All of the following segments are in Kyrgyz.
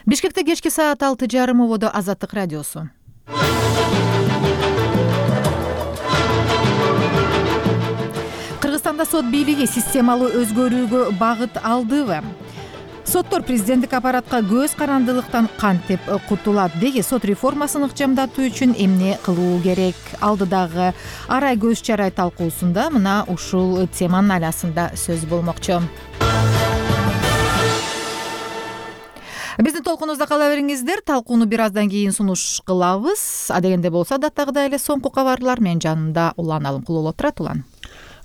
Бишкекте кечки саат 6:30 ободо Азаттык радиосу. Кыргызстанда сот бийлиги системалуу өзгөрүүгө багыт алдыбы? Соттор президенттик аппаратка көз карандылыктан кантип кутулат? Деги сот реформасын ыкчамдатуу үчүн эмне кылуу керек? Алдыдагы арай көз чарай талкуусунда мына ушул теманын айласында сөз болмокчу. Биздин толкунубузда кала бериңиздер. Талкууну бир аздан кийин сунуш кылабыз. Адегенде болсо даттагыдай эле соңку кабарлар. Менин жанымда Улан Алымкулов отурат. Улан.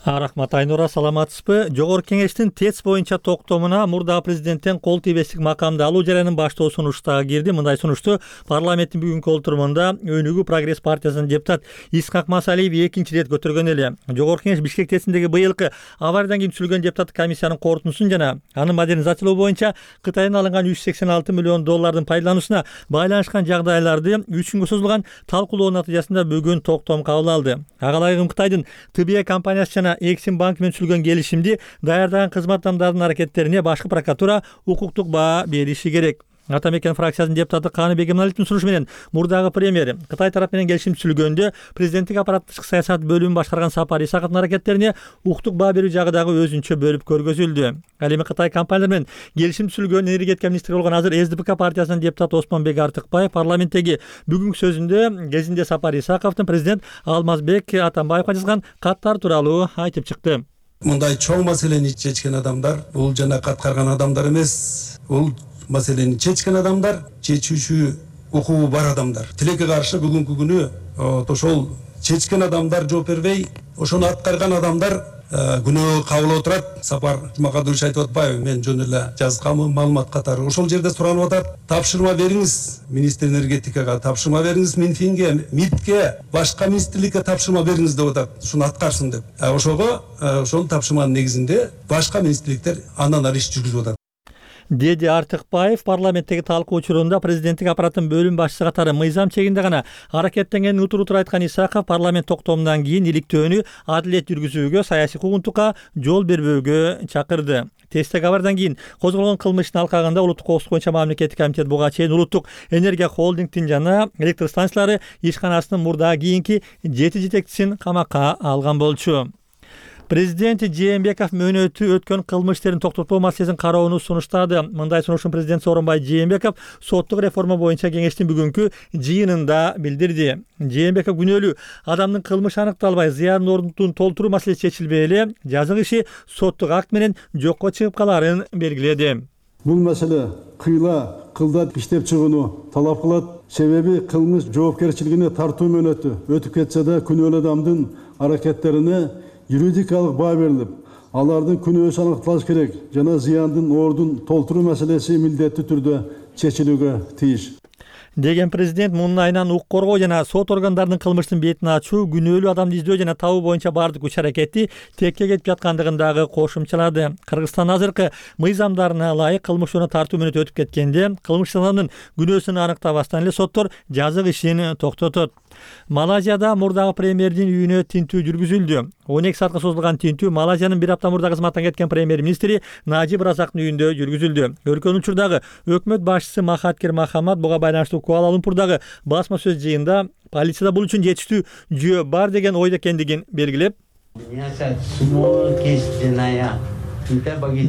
Рахмат Айнура, саламатсызбы? Жогорку кеңештин ТЭЦ боюнча токтомуна мурдагы президенттен кол тийбестик макамды алуу жараянын баштоо сунушу дагы кирди. Мындай сунушту парламенттин бүгүнкү отурумунда Өнүгүү Прогресс партиясынын депутат Исхак Масалиев экинчи ирет көтөргөн эле. Жогорку кеңеш Бишкек ТЭЦиндеги быйылкы авариядан кийин түзүлгөн депутаттык комиссиянын корутундусун жана анын модернизациялоо боюнча Кытайдан алынган $386 миллион пайдалануусуна байланышкан жагдайларды 3 күнгө созулган талкуулоо натыйжасында бүгүн токтом кабыл алды. Ага ылайык Кытайдын ТБ компаниясы жана Эксим банк менен түзүлгөн келишимди даярдаган кызмат адамдарынын аракеттерине башкы прокуратура укуктук баа бериши керек. Ата Мекен фракциясынын депутаты Каныбек Эминалиевдин сунушу менен мурдагы премьер Кытай тарап менен келишим түзүлгөндө президенттик аппарат тышкы саясат бөлүмүн башкарган Сапар Исаковдун аракеттерине укуктук баа берүү жагы дагы өзүнчө бөлүп көргөзүлдү. Ал эми Кытай компаниялар менен келишим түзүлгөн энергетика министри болгон азыр СДПК партиясынын депутаты Осмонбек Артыкбаев парламенттеги бүгүнкү сөзүндө кезинде Сапар Исаковдун президент Алмазбек Атамбаевга жазган каттар тууралуу айтып чыкты. Мындай чоң маселени чечкен адамдар бул жана каткарган адамдар эмес, бул маселени чечкен адамдар, чечүүчү укугу бар адамдар. Тилекке каршы бүгүнкү күнү ошол чечкен адамдар жооп бербей, ошону аткарган адамдар күнөө кабыл отурат. Сапар Жумакадырович айтып атпайбы, мен жөн эле жазгамын, маалымат катары. Ошол жерде суранып атат, тапшырма бериңиз министр энергетикага, тапшырма бериңиз Минфинге, МИДке, башка министрликке тапшырма бериңиз деп атат, ушуну аткарсын деп. Ошол тапшырманын негизинде башка министрликтер андан ары иш жүргүзүп атат. Деди Артыкбаев парламенттеги талкуу учурунда президенттик аппараттын бөлүм башчысы катары мыйзам чегинде гана аракеттенгенин утур-утур айткан Исаков парламент токтомунан кийин иликтөөнү адилет жүргүзүүгө, саясий куугунтукка жол бербөөгө чакырды. Тесттеги абардан кийин козголгон кылмыштын алкагында Улуттук коопсуздук боюнча мамлекеттик комитет буга чейин Улуттук энергия холдингдин жана электр станциялары ишканасынын мурдагы кийинки 7 жетекчисин камакка алган болчу. Президент Жээнбеков мөөнөтү өткөн кылмыш иштерин токтотуу маселесин кароону сунуштады. Мындай сунушун президент Сооронбай Жээнбеков соттук реформа боюнча кеңештин бүгүнкү жыйынында билдирди. Жээнбеков күнөөлүү адамдын кылмышы аныкталбай, зыян ордун толтуруу маселеси чечилбей эле жазык иши соттук акт менен жокко чыгып калаарын белгиледи. Бул маселе кылдат иштеп чыгууну талап кылат. Себеби кылмыш жоопкерчилигине тартуу мөөнөтү өтүп кетсе да күнөөлүү адамдын аракеттерине юридикалык баа берилип, алардын күнөөсү аныкталыш керек жана зыяндын ордун толтуруу маселеси милдеттүү түрдө чечилүүгө тийиш. Деген президент мунун айынан укук коргоо жана сот органдарынын кылмыштын бетин ачуу, күнөөлүү адамды издөө жана табуу боюнча бардык күч аракети текке кетип жаткандыгын дагы кошумчалады. Кыргызстан азыркы мыйзамдарына ылайык кылмыш жолуна тартуу мөөнөтү өтүп кеткенде, кылмыш адамдын күнөөсүн аныктабастан эле соттор жазык ишин токтотот. Малайзияда мурдагы премьердин үйүнө тинтүү жүргүзүлдү. 12 саатка созулган тинтүү Малайзиянын bir апта мурда кызматтан кеткен премьер-министри Najib Razak'нын үйүндө жүргүзүлдү. Өркөн учурдагы өкмөт башчысы Махатхир Мохаммад буга байланыштуу Куала Лумпурдагы басма сөз жыйында полицияда бул үчүн жетиштүү жүйө бар деген ойдо экендигин белгилеп,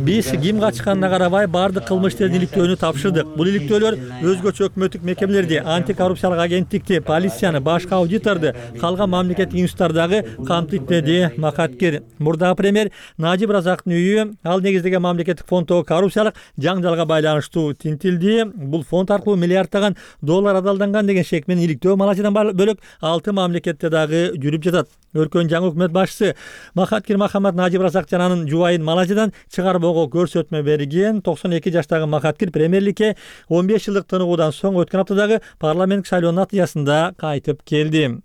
биз ким качканына карабай бардык кылмыш иштерин иликтөөнү тапшырдык. Бул иликтөөлөр өзгөчө өкмөттүк мекемелерди, антикоррупциялык агенттикти, полицияны, башка аудиторду, калган мамлекеттик институттардагы камтыйт, деди Махатхир. Мурдагы премьер Najib Razak'нын үйү ал негиздеген мамлекеттик фонддогу коррупциялык жаңжалга байланыштуу тинтилди. Бул фонд аркылуу миллиарддаган доллар адалданган деген шек менен иликтөө Малайзиядан бөлөк 6 мамлекетте дагы жүрүп жатат. Өркөн жаңы өкмөт башчысы Махатхир Мохаммад Najib Razak жана анын жубайын Малайзиядан чыгарбоого көрсөтмө берген. 92 жаштагы Махатхир премьерликке 15 жылдык тыныгуудан соң өткөн аптадагы парламенттик шайлоонун натыйжасында кайтып келди.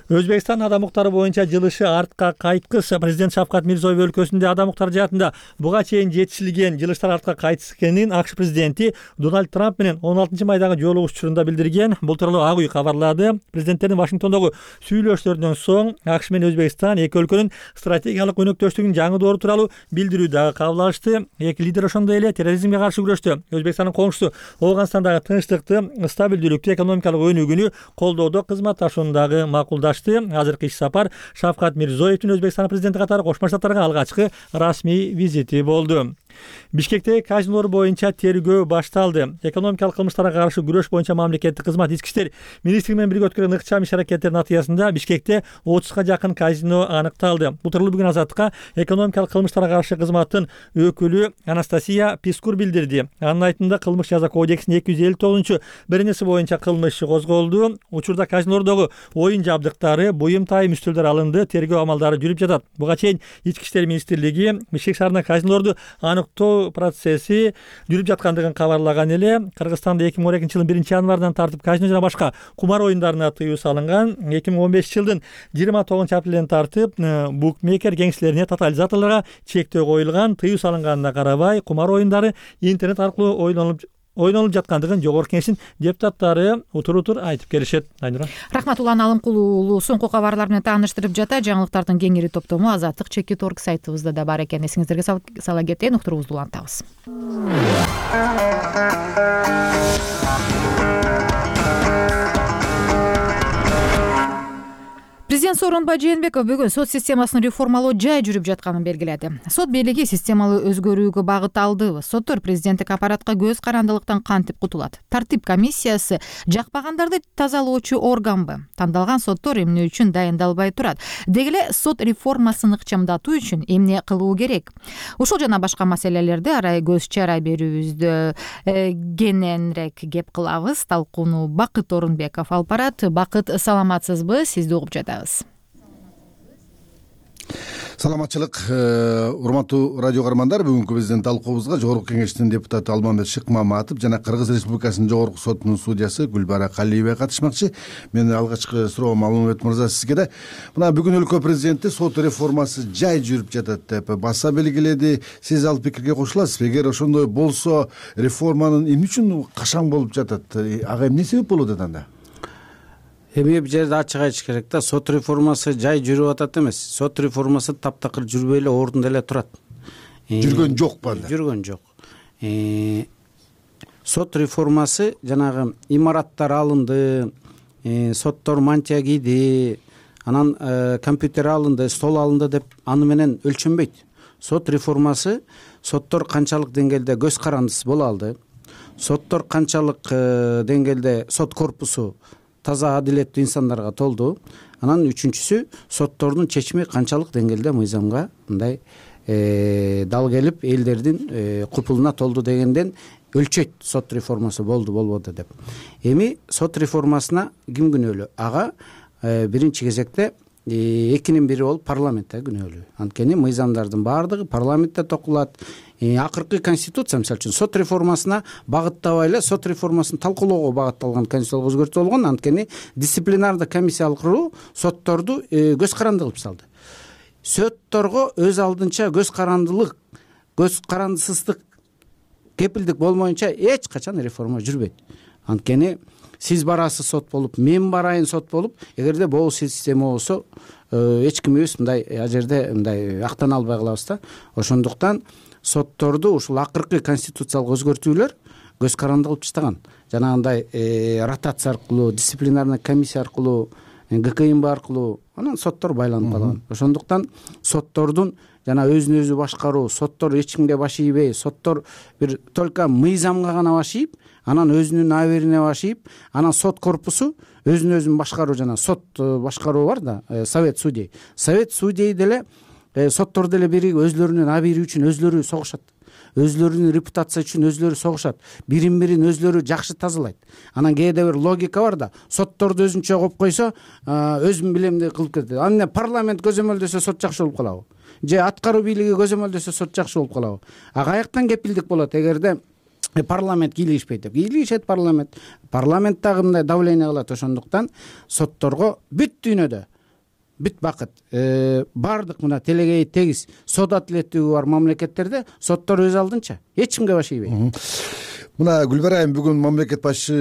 Өзбекстан адам укуктары боюнча жылышы артка кайткыс. Президент Шавкат Мирзиёев өлкөсүндө адам укуктары жаатында буга чейин жетишилген жылыштар артка кайтыс экенин АКШ президенти Дональд Трамп менен 16-майдагы жолугушуучунда билдирген. Бул тууралуу Ак үй кабарлады. Президенттердин Вашингтондогу сүйлөшүүлөрүнөн соң АКШ менен Өзбекстан эки өлкөнүн стратегиялык өнөктөштүгүнүн жаңы доору тууралуу билдирүү дагы кабыл алышты. Эки лидер ошондой эле терроризмге каршы күрөштө Өзбекстандын коңшусу Ооганстандагы тынчтыкты, стабилдүүлүктү, экономикалык өнүгүүнү колдоодо кызматташууну дагы макулдашты. Азыркы иш сапар Шавкат Мирзиёевдин Өзбекстан президенти катары Кошмо Штаттарга алгачкы расмий визити болду. Бишкектеги казинолор боюнча тергөө башталды. Экономикалык кылмыштарга каршы күрөш боюнча мамлекеттик кызмат ички иштер министрлиги менен бирге өткөргөн ыкчам иш-аракеттердин натыйжасында Бишкекте 30га жакын казино аныкталды. Бул тууралуу бүгүн Азаттыкка экономикалык кылмыштарга каршы кызматтын өкүлү Анастасия Пискур билдирди. Анын айтымында кылмыш жаза кодексинин 259-беренеси боюнча кылмыш иши козголду. Учурда казинолордогу оюн жабдыктары, буюм тайым үстөлдөр алынды, тергөө амалдары жүрүп жатат. Буга чейин ички иштер министрлиги Бишкек шаарында казинолорду аныктоо процесси жүрүп жаткандыгын кабарлаган эле. Кыргызстанда 2012-жылдын 1-январынан тартып казино жана башка кумар оюндарына тыюу салынган. 2015-жылдын 29-апрелинен тартып букмекер кеңселерине, тотализаторлорго чектөө коюлган. Тыюу салынганына карабай кумар оюндары интернет аркылуу ойнолуп жаткандыгын Жогорку Кеңештин депутаттары утур айтып келишет. Айнура. Рахмат, Улан Алымкулуу уулу соңку кабарлар менен тааныштырып жата. Жаңылыктардын кеңири топтому Азаттык /org сайтыбызда да бар экен. Эсиңиздерге сала кетейин, уктуруубузду улантабыз. Президент Сооронбай Жээнбеков бүгүн сот системасын реформалоо жай жүрүп жатканын белгиледи. Сот бийлиги системалуу өзгөрүүгө багыт алдыбы? Соттор президенттик аппаратка көз карандылыктан кантип кутулат? Тартип комиссиясы жакпагандарды тазалоочу органбы? Тандалган соттор эмне үчүн дайындалбай турат? Деги эле сот реформасын ыкчамдатуу үчүн эмне кылуу керек? Ушул жана башка маселелерди арай көз чарай берүүбүздө кененирээк кеп кылабыз. Талкууну Бакыт Орунбеков алып барат. Бакыт, саламатсызбы? Сизди угуп жатабыз. Саламатчылык, урматтуу радио каармандар. Бүгүнкү биздин талкуубузга Жогорку Кеңештин депутаты Алмамбет Шыкмаматов жана Кыргыз Республикасынын Жогорку сотунун судьясы Гүлбара Калиева катышмакчы. Менин алгачкы суроом Алмамбет мырза сизге да. Мына бүгүн өлкө президенти сот реформасы жай жүрүп жатат деп баса белгиледи. Сиз ал пикирге кошуласызбы? Эгер ошондой болсо, реформанын эмне үчүн качан болуп жатат? Ага эмне себеп болуп атат анда? Эми бул жерде ачык айтыш керек да, сот реформасы жай жүрүп атат эмес. Сот реформасы таптакыр жүрбөй эле ордунда эле турат. Жүргөн жокпу анда? Жүргөн жок. Сот реформасы жанагы имараттар алынды, соттор мантия кийди, анан компьютер алынды, стол алынды деп аны менен өлчөнбөйт. Сот реформасы соттор канчалык деңгээлде көз карандысыз боло алды, соттор канчалык деңгээлде сот корпусу таза адилеттүү инсандарга толду. Анан үчүнчүсү, соттордун чечими канчалык деңгээлде мыйзамга мындай дал келип элдердин купулуна толду дегенден өлчөйт сот реформасы болду болбоду деп. Эми сот реформасына ким күнөөлүү? Ага биринчи кезекте экинин бири болуп парламентте күнөөлүү. Анткени мыйзамдардын баардыгы парламентте токулат. Акыркы конституция мисалы үчүн сот реформасына багыттабай эле сот реформасын талкуулоого багытталган конституциялык өзгөртүү болгон. Анткени дисциплинардык комиссия куруу сотторду көз каранды кылып салды. Сотторго өз алдынча көз карандысыздык кепилдик болмоюнча эч качан реформа жүрбөйт. Анткени сиз барасыз сот болуп, мен барайын сот болуп, эгерде бул система болсо эч кимибиз мындай жерде мындай актана албай калабыз да. Ошондуктан сотторду ушул акыркы конституциялык өзгөртүүлөр көз каранды кылып таштаган. Жанагындай ротация аркылуу, дисциплинарный комиссия аркылуу, ГКМБ аркылуу анан соттор байланып калган. Ошондуктан соттордун жана өзүн өзү башкаруу, соттор эч кимге баш ийбей, соттор бир только мыйзамга гана баш ийип, анан өзүнүн аберине баш ийип, анан сот корпусу өзүн өзүн башкаруу жана сот башкаруу бар да, совет судей. Совет судей деле соттор деле биригип өзлөрүнүн абийри үчүн өзлөрү согушат. Өзлөрүнүн репутация үчүн өзлөрү согушат. Бирин-бирин өзлөрү жакшы тазалайт. Анан кээде бир логика бар да, сотторду өзүнчө коюп койсо, өзүм билемди кылып кетет. Анан парламент көзөмөлдөсө сот жакшы болуп калабы? Же аткаруу бийлиги көзөмөлдөсө сот жакшы болуп калабы? Каяктан кепилдик болот эгерде парламент кийлигишпейт деп? Кийлигишет парламент. Парламент дагы мындай давление кылат. Ошондуктан сотторго бүт дүйнөдө бүт бакыт баардык мына телегей тегиз сот адилеттүүлүгү бар мамлекеттерде соттор өз алдынча эч кимге баш ийбейт. Мына Гүлбара айым, бүгүн мамлекет башчы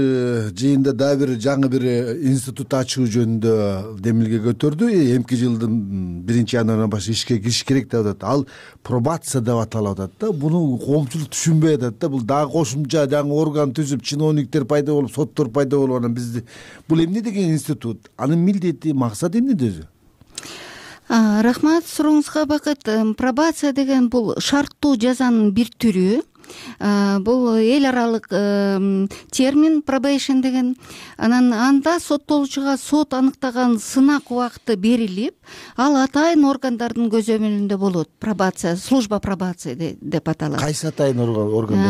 жыйында дагы бир жаңы бир институт ачуу жөнүндө демилге көтөрдү. Эмки жылдын 1-январынан баштап ишке кириш керек деп атат. Ал пробация деп аталып атат да. Буну коомчулук түшүнбөй атат да. Бул дагы кошумча жаңы орган түзүп, чиновниктер пайда болуп, соттор пайда болуп, анан бизди бул эмне деген институт? Анын милдети, максаты эмнеде өзү? Рахмат сурооңузга. Бакыт, пробация деген бул шарттуу жазанын бир түрү. Бул эл аралык термин probation деген. Анан анда соттолуучуга сот аныктаган сынак убакыты берилип, ал атайын органдардын көзөмөлүндө болот. Пробация, служба пробации деп аталат. Кайсы атайын орган?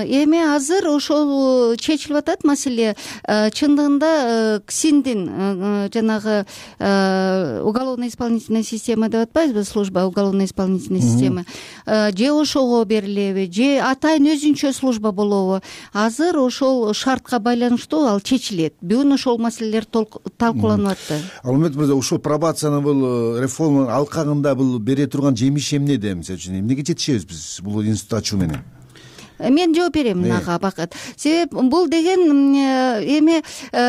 Эми азыр ошол чечилип атат маселе. Чындыгында КСИНдин жанагы уголовно-исполнительная система деп атпайбызбы, служба уголовно-исполнительная система, же ошого берилеби, же атайын өзүнчө служба болобу, азыр ошол шартка байланыштуу ал чечилет. Бүгүн ошол маселелер талкууланып атты. Алмет мырза, ушул пробациянын бул реформанын алкагында бул бере турган жемиши эмнеде? Мисалы үчүн эмнеге жетишебиз биз бул институт ачуу менен? Мен жооп берем мынага, Бакыт. Себеп бул деген эми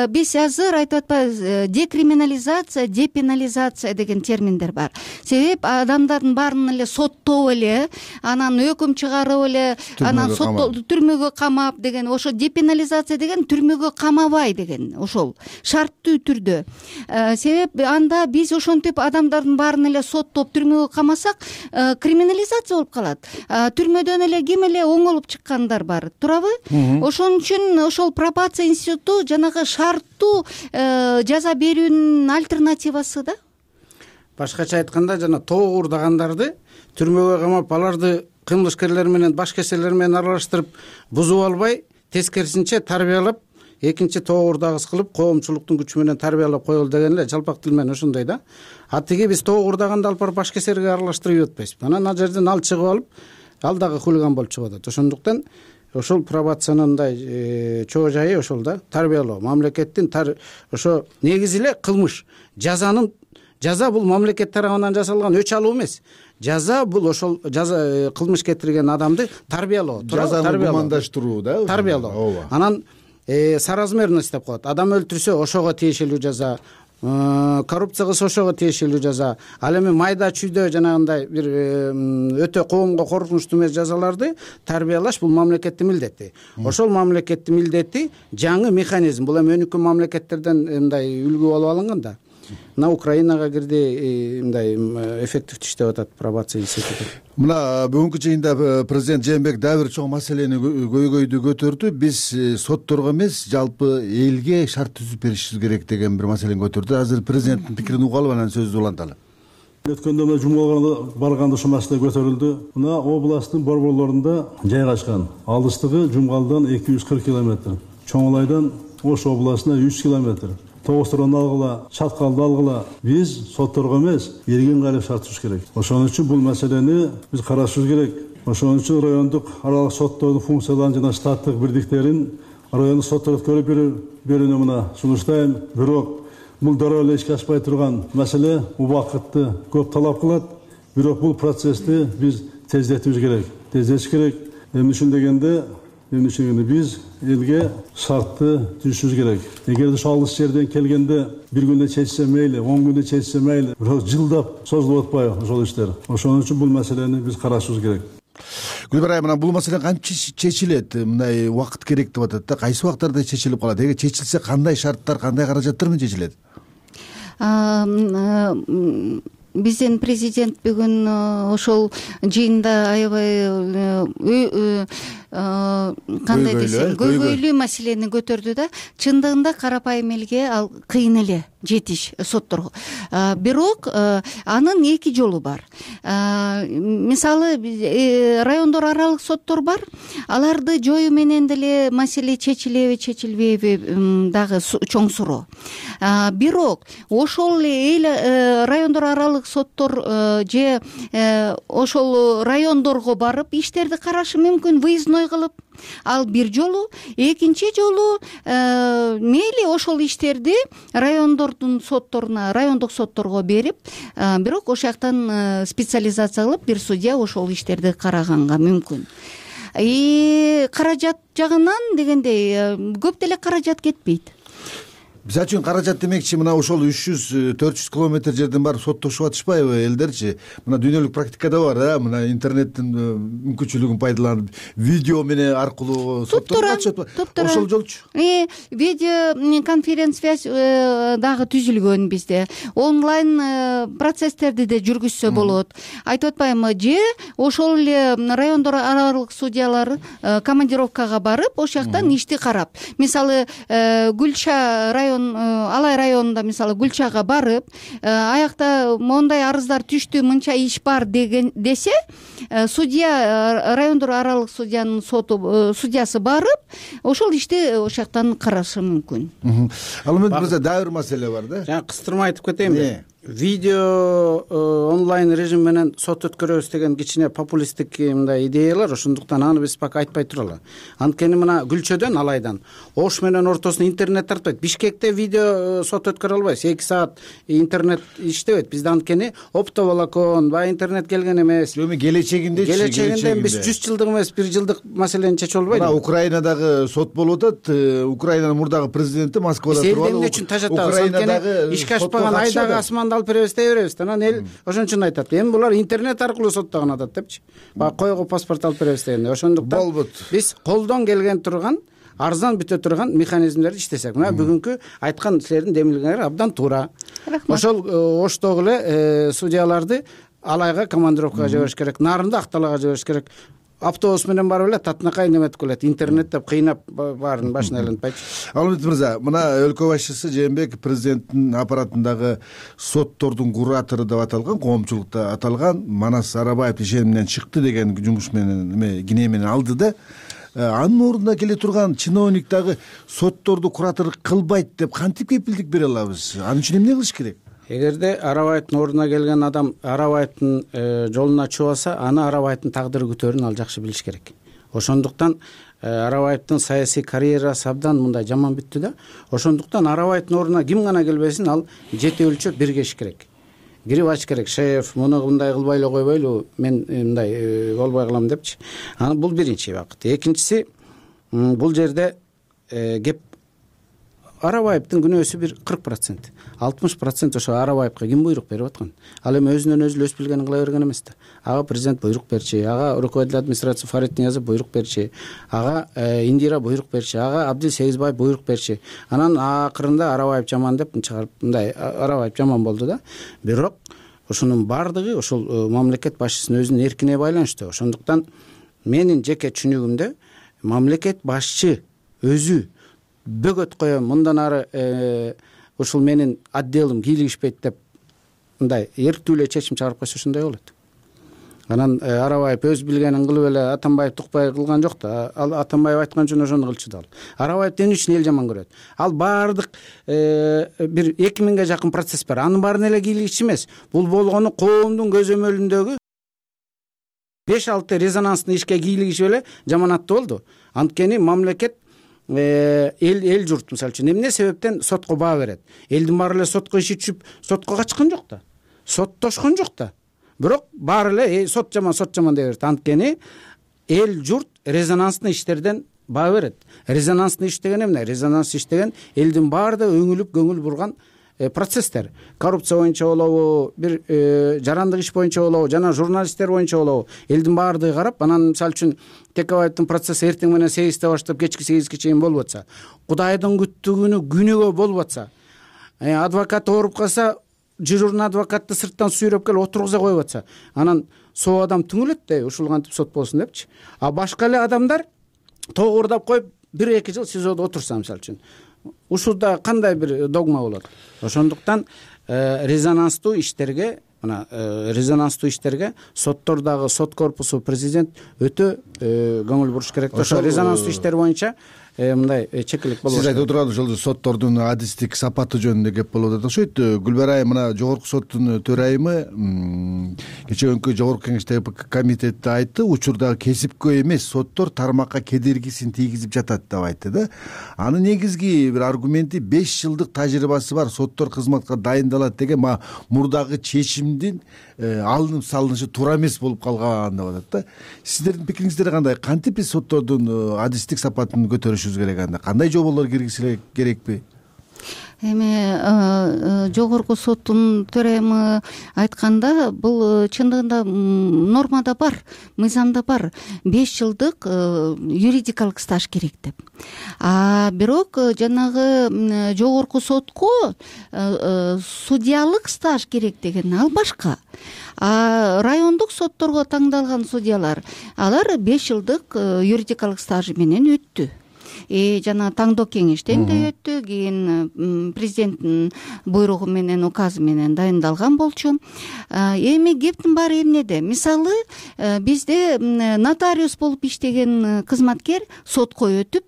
биз азыр айтып атпайбыз, декриминализация, депенализация деген терминдер бар. Себеп адамдардын баарын эле соттоп эле, анан өкүм чыгарып эле, анан түрмөгө камап деген, ошо депенализация деген түрмөгө камабай деген, ошол шарттуу түрдө. Себеп анда биз ошентип адамдардын баарын эле соттоп түрмөгө камасак, криминализация болуп калат. Түрмөдөн эле ким эле оңолуп чыккандар бар, туурабы? Ошон үчүн ошол пробация институту жанагы шарттуу жаза берүүнүн альтернативасы да. Башкача айтканда, жана тоо уурдагандарды түрмөгө камап, аларды кылмышкерлер менен, башкесерлер менен аралаштырып бузуп албай, тескерисинче тарбиялап, экинчи тоо уурдагыс кылып, коомчулуктун күчү менен тарбиялап коелу деген эле жалпак тил менен ошондой да. Атиги биз тоо уурдаганда алып барып башкесерге аралаштырып атпайбызбы. Анан ал жерден ал чыгып алып, ал дагы хулиган болуп чыгып атат. Ошондуктан ошол пробациянын мындай чоо жайы ошол да, тарбиялоо. Мамлекеттин ошо негизи эле кылмыш. Жаза бул мамлекет тарабынан жасалган өч алуу эмес. Жаза бул ошол кылмыш кетирген адамды тарбиялоо, жазаны гумандаштыруу да, тарбиялоо. Анан соразмерность деп коет. Адам өлтүрсө ошого тиешелүү жаза, коррупция кылса ошого тиешелүү жаза. Ал эми майда чүйдө жанагындай бир өтө коомго коркунучтуу эмес жазаларды тарбиялаш бул мамлекеттин милдети. Ошол мамлекеттин милдети жаңы механизм. Бул эми өнүккөн мамлекеттерден мындай үлгү болуп алынган да. Мына Украинага кирди, мындай эффективдүү иштеп атат пробация институту. Мына бүгүнкү жыйында президент Жээнбеков дагы бир чоң маселени көйгөйдү көтөрдү. Биз сотторго эмес, жалпы элге шарт түзүп беришибиз керек деген бир маселени көтөрдү. Азыр президенттин пикирин угалы, анан сөздү уланталы. Өткөндө мына жумгаларга барганда ушул маселе көтөрүлдү. Мына областтын борборлорунда жайгашкан. Алыстыгы Жумгалдан 240 километр, Чоңулайдан Ош областына 100 километр. Тогостурдан алгыла, Чаткалды алгыла, биз сотторго эмес, эрген кайрып шарт түзүш керек. Ошон үчүн бул маселени биз карашыбыз керек. Ошон үчүн райондук аралык соттордун функцияларын жана штаттык бирдиктерин райондук сотторго көрүп берүүнү мына сунуштайм. Бирок бул дароо эле ишке ашпай турган маселе убакытты көп талап кылат. Бирок бул процессти биз тездетишибиз керек. Тездетиш керек. Эмне үчүн дегенде биз элге шартты түзүшүбүз керек. Эгерде ошол алыс жерден келгенде бир күндө чечсе мейли, 10 күндө чечсе мейли, бирок жылдап созулуп атпайбы ошол иштер. Ошон үчүн бул маселени биз карашыбыз керек. Гүлбара айым, бул маселе кантип чечилет? Мындай убакыт керек деп атат да. Кайсы убактарда чечилип калат? Эгер чечилсе кандай шарттар, кандай каражаттар менен чечилет? Биздин президент бүгүн ошол жыйында аябай кандай десем, көйгөйлүү маселени көтөрдү да. Чындыгында карапайым элге ал кыйын эле жетиш сотторго. Бирок анын эки жолу бар. Мисалы райондор аралык соттор бар. Аларды жоюу менен деле маселе чечилеби, чечилбейби дагы чоң суроо. Бирок ошол эл райондор аралык соттор же ошол райондорго барып иштерди карашы мүмкүн, выездной ой кылып, ал бир жолу. Экинчи жолу мейли ошол иштерди райондордун сотторуна, райондук сотторго берип, бирок ошол жактан специализация кылып бир судья ошол иштерди караганга мүмкүн. Каражат жагынан дегендей көп деле каражат кетпейт. Мисалы үчүн каражат демекчи, мына ошол 300-400 километр жерден барып соттошуп атышпайбы элдерчи? Мына дүйнөлүк практикада бар, мына интернеттин мүмкүнчүлүгүн пайдаланып видео менен аркылуу соттолуп атышат. Ошол жолчу. Видео конференц-связь дагы түзүлгөн бизде. Онлайн процесстерди да жүргүзсө болот. Айтып атпаймынбы, же ошол эле райондор аралык судьялар командировкага барып, ошол жактан ишти карап. Мисалы, Гүлча Алай районунда мисалы Гүлчага барып, аякта мондай арыздар түштү, мынча иш бар десе, судья, райондор аралык судьянын судьясы барып, ошол ишти ошол жактан карашы мүмкүн. Ал эми бизде дагы бир маселе бар да. Жана кыстырма айтып кетейинби? Видео онлайн режим менен сот өткөрөбүз деген кичине популисттик мындай идеялар, ошондуктан аны биз пока айтпай туралы. Анткени мына Гүлчөдөн, Алайдан Ош менен ортосуна интернет тартпайт. Бишкекте видео сот өткөрө албайсыз. 2 саат интернет иштебейт. Бизде анткени оптоволокон, баягы интернет келген эмес. Эми келечегинде биз 100 жылдык эмес, 1 жылдык маселени чечип албайбыз. Мына Украинадагы сот болуп атат. Украинанын мурдагы президенти Москвада туруп алып, эмне үчүн тажатабыз? Анткени ишке ашпаган айдагы асманды алып беребиз, беребиз. Анан эл ошон үчүн айтат. Эми булар интернет аркылуу соттогон атат депчи. Баягы койго паспорт алып беребиз дегенде. Ошондуктан биз колдон келген турган, арзан бүтө турган механизмдерди иштесек. Мына бүгүнкү айткан силердин демилгеңер абдан туура. Ошол Оштогу эле судьяларды Алайга командировкага жибериш керек, Нарында Акталайга жибериш керек. Автобус менен барып эле татынакай неметип келет. Интернет деп кыйнап баарын башына айлантпайчы. Алмат мырза, мына өлкө башчысы Жээнбеков президенттин аппаратындагы соттордун куратору деп аталган, коомчулукта аталган Манас Арабаев ишениминен чыкты деген жумуш менен кине менен алды да. Анын ордуна келе турган чиновник дагы сотторду куратор кылбайт деп кантип кепилдик бере алабыз? Анын үчүн эмне кылыш керек? Эгерде Арабаевдин ордуна келген адам Арабаевдин жолуна чубаса, аны Арабаевдин тагдыры күтөрүн ал жакшы билиш керек. Ошондуктан Арабаевдин саясий карьерасы абдан мындай жаман бүттү да. Ошондуктан Арабаевдин ордуна ким гана келбесин, ал жети өлчөп биргеш керек. Кирип ач керек. Шеф, муну мындай кылбай эле койбойлу, мен мындай болбой калам депчи. Аны бул биринчи багыт. Экинчиси, бул жерде кеп Арабаевдин күнөөсү бир 40%. 60% ошо Арабаевга ким буйрук берип аткан? Ал эми өзүнөн өзү өз билгенин кыла берген эмес да. Ага президент буйрук берчи, ага руководитель администрации Фарид Ниязов буйрук берчи, ага Индира буйрук берчи, ага Абдил Сегизбаев буйрук берчи. Анан акырында Арабаев жаман деп чыгарып, мындай Арабаев жаман болду да. Бирок ошонун бардыгы ошол мамлекет башчысынын өзүнүн эркине байланыштуу. Ошондуктан менин жеке түшүнүгүмдө мамлекет башчы өзү бөгөт коем, мындан ары ушул менин отделим кийлигишпейт деп мындай эрктүү эле чечим чыгарып койсо ошондой болот. Анан Арабаев өз билгенин кылып эле Атамбаев тукпай кылган жок да. Ал Атамбаев айткан үчүн ошону кылчу да. Арабаев эмне үчүн эл жаман көрөт? Ал баардык бир 2000ге жакын процесс бар. Анын баарын эле кийлигичи эмес. Бул болгону коомдун көзөмөлүндөгү 5-6 резонанстын ишке кийлигишип эле жаман аттуу болду. Анткени мамлекет эл журт мисалы үчүн эмне себептен сотко баа берет? Элдин баары эле сотко иши түшүп, сотко качкан жок да. Соттошкон жок да. Бирок баары эле сот жаман деп берет. Анткени эл журт резонанстын иштерден баа берет. Резонанстын иш деген эмне? Резонанс иш деген элдин баардыгы өңүлүп көңүл бурган процесстер. Коррупция боюнча болобу, бир жарандык иш боюнча болобу, жана журналисттер боюнча болобу, элдин баардыгы карап, анан мисалы үчүн Текебаевдин процесси эртең менен 8-те баштап кечки 8ге чейин болуп атса, Кудайдын күттүгүнү күнүгө болуп атса, адвокат ооруп калса, дежурный адвокатты сырттан сүйрөп келип отургуза коюп атса, анан соо адам түңүлөт да, ушул кантип сот болсун депчи. А башка эле адамдар тогурдап коюп 1-2 жыл СИЗОдо отурса мисалы үчүн, ушулда кандай бир догма болот? Ошондуктан резонанстуу иштерге, мына резонанстуу иштерге соттордогу сот корпусу президент өтө көңүл буруш керек. Ошо резонанстуу иштер боюнча мындай чекилик болбош. Сиз айтып отурган ошол соттордун адистик сапаты жөнүндө кеп болуп атат окшойт. Гүлбара айым, мына жогорку соттун төрайымы кечээ жогорку кеңеште комитетте айтты, учурдагы кесипкөй эмес соттор тармакка кедергисин тийгизип жатат деп айтты да. Анын негизги бир аргументи 5 жылдык тажрыйбасы бар соттор кызматка дайындалат деген мурдагы чечимдин алынып салынышы туура эмес болуп калган деп атат да. Сиздердин пикириңиздер кандай? Кантип биз соттордун адистик сапатын көтөрүшүбүз керек анда? Кандай жоболор киргизиле керекпи? Эми жогорку соттун төрайымы айтканда, бул чындыгында нормада бар, мыйзамда бар, 5 жылдык юридикалык стаж керек деп. Бирок жанагы жогорку сотко судьялык стаж керек деген ал башка. Райондук сотторго таңдалган судьялар, алар 5 жылдык юридикалык стажы менен өттү. Жана таңдоо кеңештен да өттү, кийин президенттин буйругу менен, указы менен дайындалган болчу. Эми кептин баары эмнеде? Мисалы, бизде нотариус болуп иштеген кызматкер сотко өтүп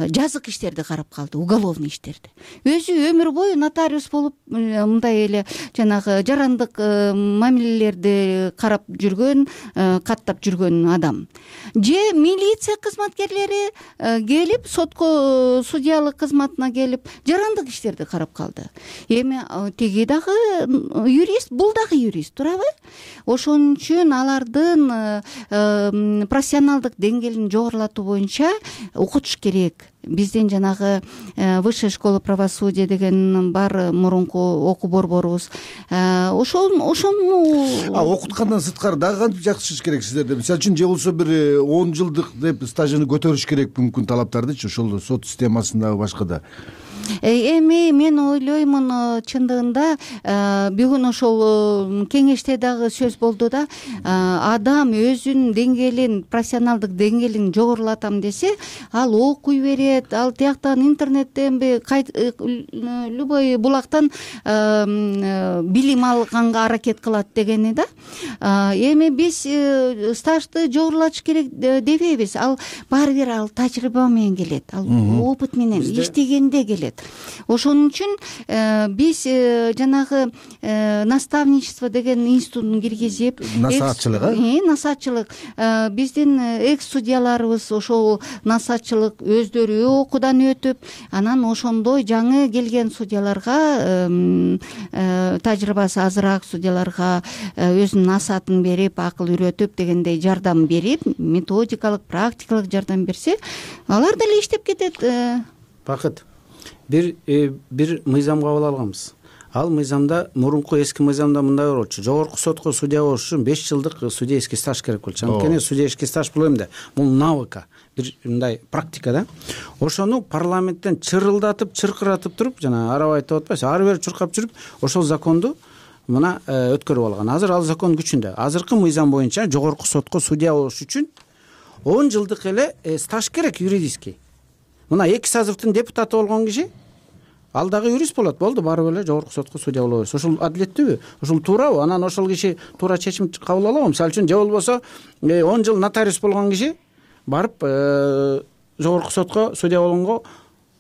жазык иштерди карап калды, уголовный иштерди. Өзү өмүр бою нотариус болуп мындай эле жанагы жарандык мамилелерди карап жүргөн, каттап жүргөн адам. Же милиция кызматкерлери келип, сотко судьялык кызматына келип жарандык иштерди карап калды. Эми тиги дагы юрист, бул дагы юрист, туурабы? Ошон үчүн алардын профессионалдык деңгээлин жогорулатуу боюнча окутуш керек. Биздин жанагы высшая школа правосудия деген бар, мурунку окуу борборубуз. Ошону окуткандан сырткары дагы кантип жакшыртыш керек сиздерде? Мисалы үчүн же болбосо бир 10 жылдык деп стажын көтөрүш керек мүмкүн талаптардычы ошол сот системасындагы башкада. Эми мен ойлоймун, чындыгында бүгүн ошол кеңеште дагы сөз болду да, адам өзүнүн деңгээлин, профессионалдык деңгээлин жогорулатам десе, ал окуй берет, ал тияктан интернеттен любой булактан билим алганга аракет кылат дегени да. Эми биз стажды жогорулатыш керек дебейбиз. Ал баары бир ал тажрыйба менен келет, ал опыт менен иштегенде келет. Ошон үчүн биз жанагы наставничество деген институтун киргизип, насаатчылык биздин экс судьяларыбыз ошол насаатчылык өздөрү окуудан өтүп, анан ошондой жаңы келген судьяларга, тажрыйбасы азыраак судьяларга өзүнүн насаатын берип, акыл үйрөтүп дегендей жардам берип, методикалык, практикалык жардам берсе, алар деле иштеп кетет. Бакыт, бир мыйзам кабыл алганбыз. Ал мыйзамда, мурунку эски мыйзамда мындай болчу: жогорку сотко судья болуш үчүн 5 жылдык судейский стаж керек болчу. Анткени судейский стаж бул эмне? Бул навыка, бир мындай практика да. Ошону парламенттен чырылдатып, чыркыратып туруп, жана арабай айтып атпайсыз, ары бери чуркап жүрүп, ошол законду мына өткөрүп алган. Азыр ал закон күчүндө. Азыркы мыйзам боюнча жогорку сотко судья болуш үчүн 10 жылдык эле стаж керек юридический. Мына 2 созывдын депутаты болгон киши ал дагы юрист болот, болду, барып эле жогорку сотко судья боло берет. Ошол адилеттүүбү? Ошол туурабы? Анан ошол киши туура чечим кабыл алабы? Мисалы үчүн, же болбосо 10 жыл нотариус болгон киши барып жогорку сотко судья болгонго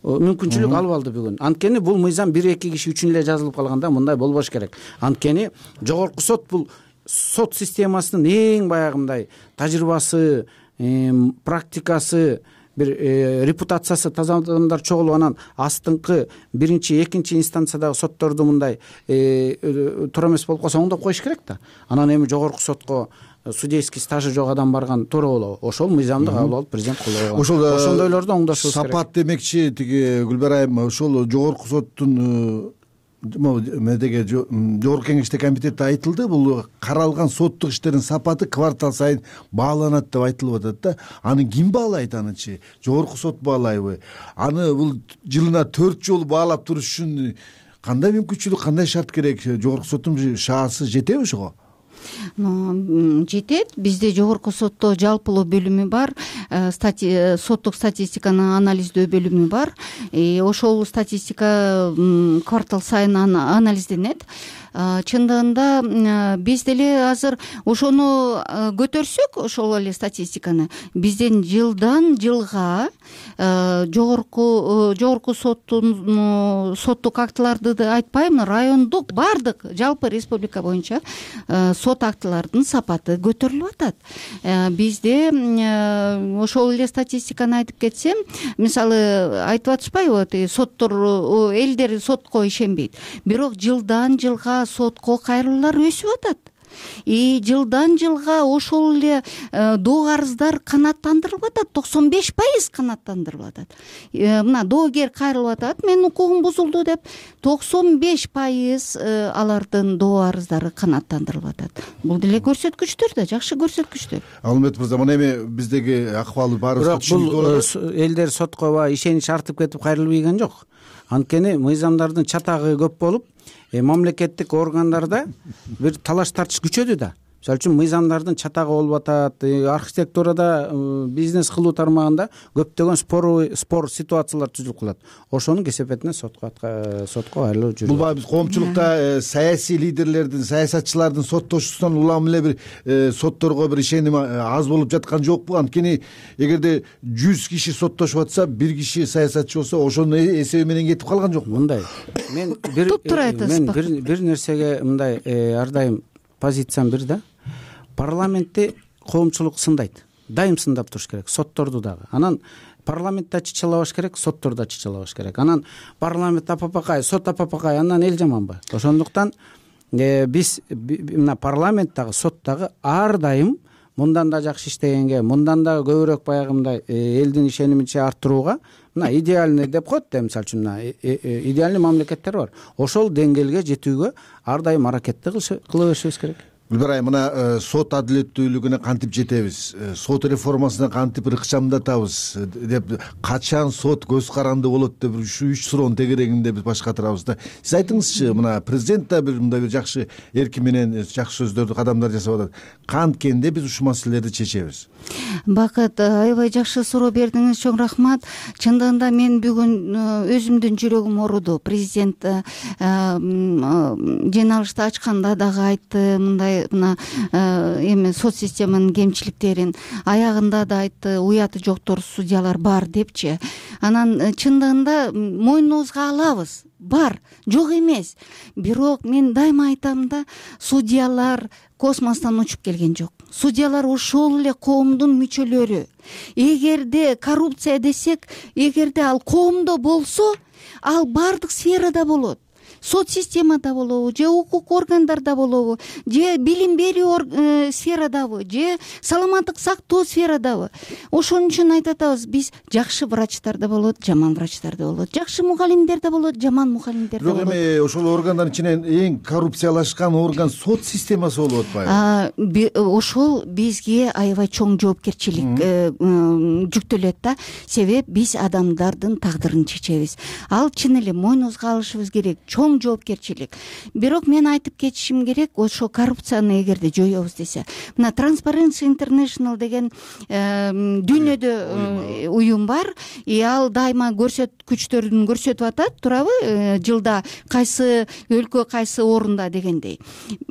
мүмкүнчүлүк алып алды бүгүн. Анткени бул мыйзам 1-2 киши үчүн эле жазылып калганда мындай болбош керек. Анткени жогорку сот бул сот системасынын эң баягындай тажрыйбасы, практикасы, бир репутациясы таза адамдар чогулуп, анан астыңкы 1-2 инстанциядагы сотторду мындай туура эмес болуп калса оңдоп коюш керек да. Анан эми жогорку сотко судейский стажы жок адам барган туура болобу? Ошол мыйзамды кабыл алып президент колдой койгон. Ошондойлорду оңдошубуз керек. Сапат демекчи, тиги Гүлбара айым, ошол жогорку соттун медеге жогорку кеңеште комитетте айтылды, бул каралган соттук иштердин сапаты квартал сайын бааланат деп айтылып атат да. Аны ким баалайт анычы? Жогорку сот баалайбы? Аны бул жылына 4 жолу баалап туруш үчүн кандай мүмкүнчүлүк, кандай шарт керек? Жогорку соттун шаасы жетеби ошого? Жетет. Бизде жогорку сотто жалпылоо бөлүмү бар, соттук статистиканы анализдөө бөлүмү бар. Ошол статистика квартал сайын анализденет. Чындыгында биз деле азыр ошону көтөрсөк, ошол эле статистиканы бизден жылдан жылга жогорку соттук актыларды айтпайм, райондук баардык жалпы республика боюнча сот актылардын сапаты көтөрүлүп атат. Бизде ошол эле статистиканы айтып кетсем, мисалы айтып атышпайбы, соттор элдер сотко ишенбейт, бирок жылдан жылга сотко кайрылуулар өсүп атат. Жылдан жылга ошол эле доо арыздар канааттандырылып атат, 95% канааттандырылып атат. Мына доогер кайрылып атат, менин укугум бузулду деп, 95% алардын доо арыздары канааттандырылып атат. Бул деле көрсөткүчтөр да, жакшы көрсөткүчтөр. Алмет мырза, мына эми биздеги акыбалы баарыбызга түшүнүктүү болот. Бул элдер сотко ишенич артып кетип кайрылып ийген жок. Анткени мыйзамдардын чатагы көп болуп, мамлекеттик органдарда бир талаш тартыш күчөдү да. Мисалы үчүн мыйзамдардын чатагы болуп атат, архитектурада, бизнес кылуу тармагында көптөгөн спор ситуациялар түзүлүп калат. Ошонун кесепетине сотко кайрылуу жүрүп. Бул баягы биз коомчулукта саясий лидерлердин, саясатчылардын соттошуусунан улам эле бир сотторго бир ишеним аз болуп жаткан жокпу? Анткени эгерде 100 киши соттошуп атса, бир киши саясатчы болсо, ошонун эсеби менен кетип калган жокпу? Мындай. Мен бир нерсеге мындай ар дайым позициям бир да. Парламентти коомчулук сындайт. Дайым сындап туруш керек, сотторду дагы. Анан парламентте чычалабаш керек, соттордо чычалабаш керек. Анан парламент апапакай, сот апапакай, андан эл жаманбы? Ошондуктан биз мына парламенттагы, соттагы ар дайым мындан да жакшы иштегенге, мындан да көбүрөөк баягымдай элдин ишенимин арттырууга, мына идеальный деп коет да, мисалы үчүн идеальный мамлекеттер бар. Ошол деңгээлге жетүүгө ар дайым аракетти кыла беришибиз керек. Гүлбар айым, мына сот адилеттүүлүгүнө кантип жетебиз, сот реформасына кантип ыкчамдатабыз деп, качан сот көз каранды болот деп ушу 3 суроонун тегерегинде биз баш катырабыз да. Сиз айтыңызчы, мына президент да мындай бир жакшы эркин менен жакшы сөздөрдү, кадамдар жасап атат. Канткенде биз ушул маселелерди чечебиз? Бакыт, аябай жакшы суроо бердиңиз, чоң рахмат. Чындыгында мен бүгүн өзүмдүн жүрөгүм ооруду. Президент жыйналышты ачканда дагы айтты, мындай мына эми сот системанын кемчиликтерин, аягында да айтты, уяты жоктор судьялар бар депчи. Анан чындыгында мойнубузга алабыз, бар, жок эмес. Бирок мен дайыма айтам да, судьялар космостон учуп келген жок. Судьялар ошол эле коомдун мүчөлөрү. Эгерде коррупция десек, эгерде ал коомдо болсо, ал бардык сферада болот. Сот системада болобу, же укук органдарда болобу, же билим берүү сферадабы, же саламаттык сактоо сферадабы. Ошон үчүн айтып атабыз, биз жакшы врачтар да болот, жаман врачтар да болот, жакшы мугалимдер да болот, жаман мугалимдер да болот. Бирок эми ошол органдардын ичинен эң коррупциялашкан орган сот системасы болуп атпайбы? Ошол бизге аябай чоң жоопкерчилик жүктөлөт да. Себеп биз адамдардын тагдырын чечебиз. Ал чын эле мойнубузга алышыбыз керек, чоң жоопкерчилик. Бирок мен айтып кетишим керек, ошо коррупцияны эгерде жоёбуз десе, мына Transparency International деген дүйнөдө уюм бар, ал дайыма көрсөткүчтөрүн көрсөтүп атат, турабы, жылда кайсы өлкө кайсы орунда дегендей.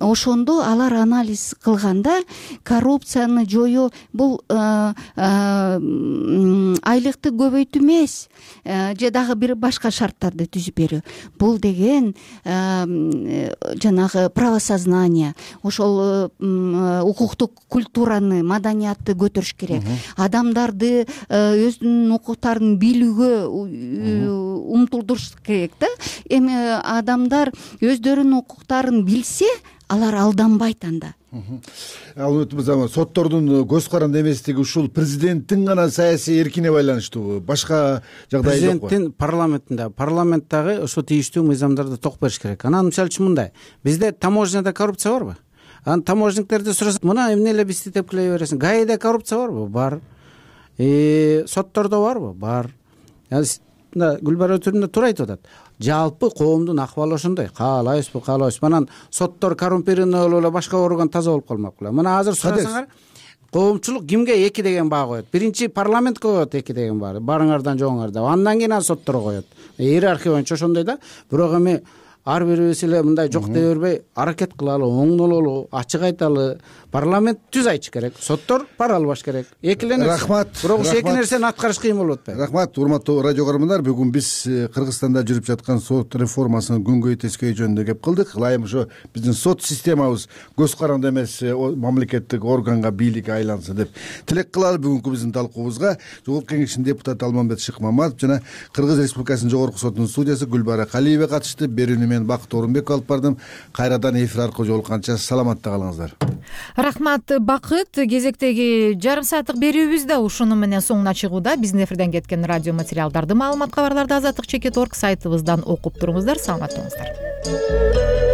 Ошондо алар анализ кылганда коррупцияны жоюу бул айлыкты көбөйтүү эмес, же дагы бир башка шарттарды түзүп берүү. Бул деген жанагы правосознание, ошол укуктук культураны, маданиятты көтөрүш керек. Адамдарды өзүнүн укуктарын билүүгө умтулдуруш керек да. Эми адамдар өздөрүнүн укуктарын билсе, алар алданбайт анда. Ал соттордун көз каранды эместиги ушул президенттин гана саясий эркине байланыштуубу? Башка жагдай жокпу? Президенттин парламенттагы ошо тийиштүү мыйзамдарды ток бериш керек. Анан мисалы үчүн мындай, бизде таможняда коррупция барбы? Анан таможниктерди сурасак, мына эмне эле бизди тепкилей бересиң? ГАИда коррупция барбы? Бар. Соттордо барбы? Бар. мына Гүлбара өтөрүндө туура айтып атат. Жалпы коомдун акыбалы ошондой. Каалайбызбы, каалабайбызбы. Анан соттор коррумпированный болуп эле башка орган таза болуп калмак беле. Мына азыр сурасаңар, коомчулук кимге 2 деген баа коет? Биринчи парламентке коет 2 деген баа. Барыңардан жоңуңарда. Андан кийин сотторго коет. Иерархия боюнча ошондой да. Бирок эми ар бирибиз эле мындай жок дей бербей аракет кылалы, оңдололу, ачык айталы. Парламент түз айтыш керек. Соттор пара албаш керек. Экилене. Рахмат. Бирок эки нерсени аткарыш кыйын болуп атпайбы? Рахмат, урматтуу радио көрөрмандар. Бүгүн биз Кыргызстанда жүрүп жаткан сот реформасынын күнгөй тескей жөнүндө кеп кылдык. Ылайым ошо биздин сот системабыз көз каранды эмес мамлекеттик органга, бийликке айлансын деп тилек кылалы. Бүгүнкү биздин талкуубузга Жогорку Кеңештин депутаты Алмамбет Шыкмаматов жана Кыргыз Республикасынын Жогорку сотунун судьясы Гүлбара Калиева катышты. Берүүнү мен Бакыт Орунбеков алып бардым. Кайрадан эфир аркылуу жолукканча саламатта калыңыздар. Рахмат Бакыт. Кезектеги жарым сааттык берүүбүз да ушуну менен соңуна чыгууда. Биздин эфирден кеткен радио материалдарды, маалымат, кабарларды Азаттык.org сайтыбыздан окуп туруңуздар. Саламатта болуңуздар.